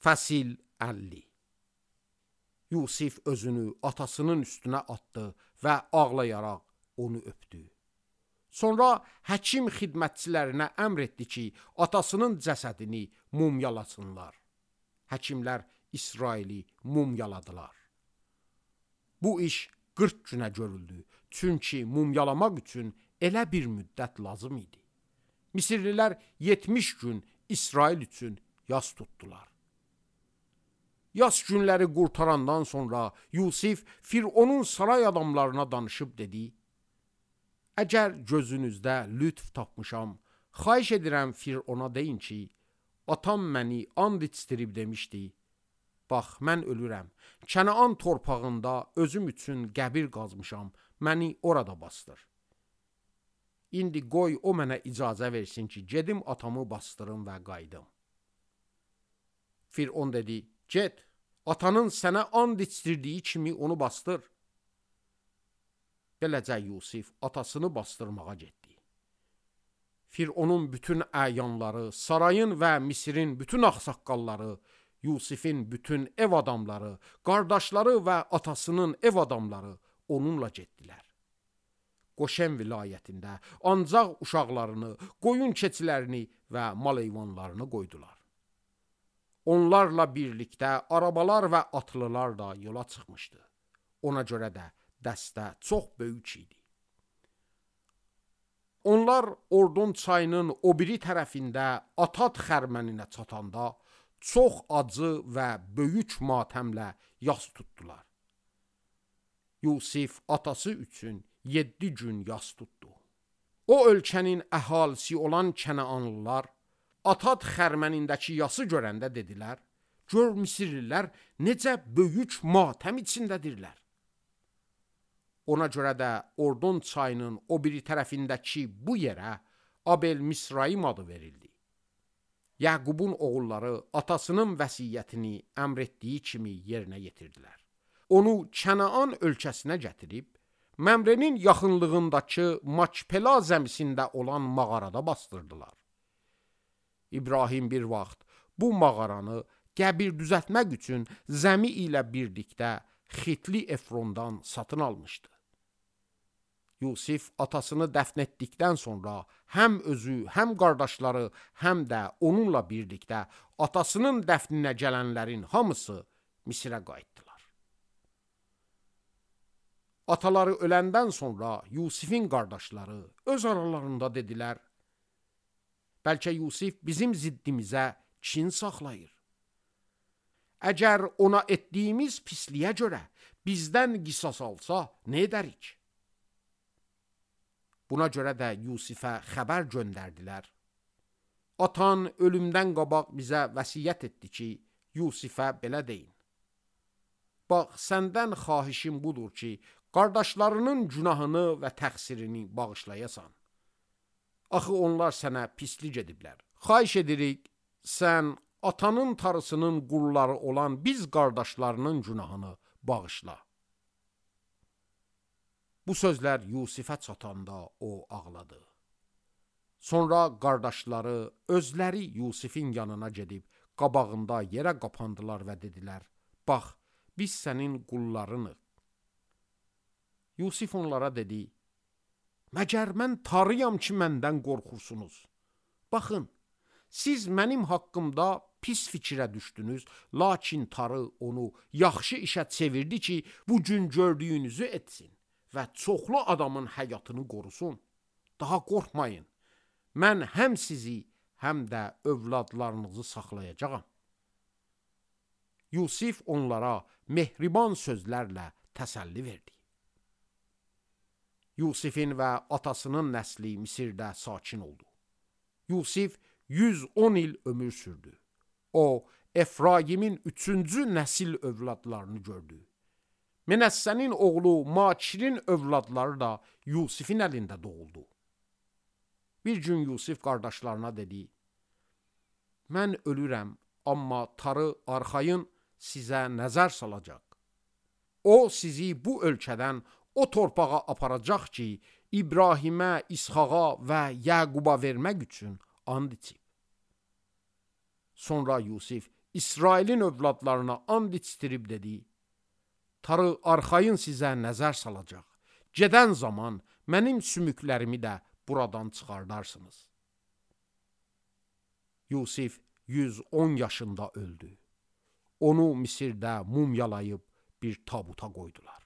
Fəsil 50. Yusif özünü atasının üstünə atdı və ağlayaraq onu öpdü. Sonra həkim xidmətçilərinə əmr etdi ki, atasının cəsədini mumyalasınlar. Həkimlər İsraili mumyaladılar. Bu iş 40 günə görüldü, çünki mumyalamaq üçün elə bir müddət lazım idi. Misirlilər 70 gün İsrail üçün yas tutdular. Yas günləri qurtarandan sonra Yusif Fironun saray adamlarına danışıb dedi: Əgər gözünüzdə lütf tapmışam, xahiş edirəm Firona deyin ki, atam məni and içdirib demişdi: Bax, mən ölürəm, Kənaan torpağında özüm üçün qəbir qazmışam, məni orada bastır. İndi qoy o mənə icazə versin ki, gedim atamı bastırım və qayıdım. Firon dedi: Get, atanın sənə and içdirdiyi kimi onu bastır. Beləcə Yusif atasını bastırmağa getdi. Fironun bütün əyanları, sarayın və Misirin bütün ağsaqqalları, Yusifin bütün ev adamları, qardaşları və atasının ev adamları onunla getdilər. Qoşen vilayətində ancaq uşaqlarını, qoyun keçilərini və mal heyvanlarını qoydular. Onlarla birlikdə arabalar və atlılar da yola çıxmışdı. Ona görə də dəstə çox böyük idi. Onlar Ordon çayının o biri tərəfində Atat xərməninə çatanda çox acı və böyük matəmlə yas tutdular. Yusif atası üçün 7 gün yas tutdu. O ölkənin əhalisi olan Kənaanlılar Atat xərmənindəki yası görəndə dedilər: Gör Misirlilər necə böyük matəm içindədirlər. Ona görə də Ordon çayının o biri tərəfindəki bu yerə Abel Misraim adı verildi. Yaqubun oğulları atasının vəsiyyətini əmr etdiyi kimi yerinə yetirdilər. Onu Kənaan ölkəsinə gətirib, Məmrenin yaxınlığındakı Makpela zəmisində olan mağarada bastırdılar. İbrahim bir vaxt bu mağaranı qəbir düzəltmək üçün zəmi ilə birlikdə Xitli Efrondan satın almışdı. Yusif atasını dəfn etdikdən sonra həm özü, həm qardaşları, həm də onunla birlikdə atasının dəfninə gələnlərin hamısı Misirə qayıtdılar. Ataları öləndən sonra Yusifin qardaşları öz aralarında dedilər: Bəlkə Yusif bizim ziddimizə kin saxlayır. Əgər ona etdiyimiz pisliyə görə bizdən qisas alsa, nə edərik? Buna görə də Yusifə xəbər göndərdilər. Atan ölümdən qabaq bizə vəsiyyət etdi ki, Yusifə belə deyin: Bax, səndən xahişim budur ki, qardaşlarının günahını və təqsirini bağışlayasan. Axı onlar sənə pislik ediblər. Xahiş edirik, sən atanın tarısının qulları olan biz qardaşlarının günahını bağışla. Bu sözlər Yusifə çatanda o ağladı. Sonra qardaşları özləri Yusifin yanına gedib qabağında yerə qapandılar və dedilər: Bax, biz sənin qullarınıq. Yusif onlara dedi: Məgər mən tarıyam ki, məndən qorxursunuz? Baxın, siz mənim haqqımda pis fikrə düşdünüz, lakin tarı onu yaxşı işə çevirdi ki, bu gün gördüyünüzü etsin və çoxlu adamın həyatını qorusun. Daha qorxmayın, mən həm sizi, həm də övladlarınızı saxlayacağam. Yusif onlara mehriban sözlərlə təsəlli verdi. Yusifin və atasının nəsli Misirdə sakin oldu. Yusif 110 il ömür sürdü. O, Efraimin 3-cü nəsil övladlarını gördü. Menəssənin oğlu Makirin övladları da Yusifin əlində doğuldu. Bir gün Yusif qardaşlarına dedi: Mən ölürəm, amma tarı arxayın sizə nəzər salacaq. O sizi bu ölkədən o torpağa aparacaq ki, İbrahimə, İsxaqa və Yaquba vermək üçün and içib. Sonra Yusif İsrailin övladlarına and içdirib dedi: Tarı arxayın sizə nəzər salacaq. Gedən zaman mənim sümüklərimi də buradan çıxardarsınız. Yusif 110 yaşında öldü. Onu Misirdə mumyalayıb bir tabuta qoydular.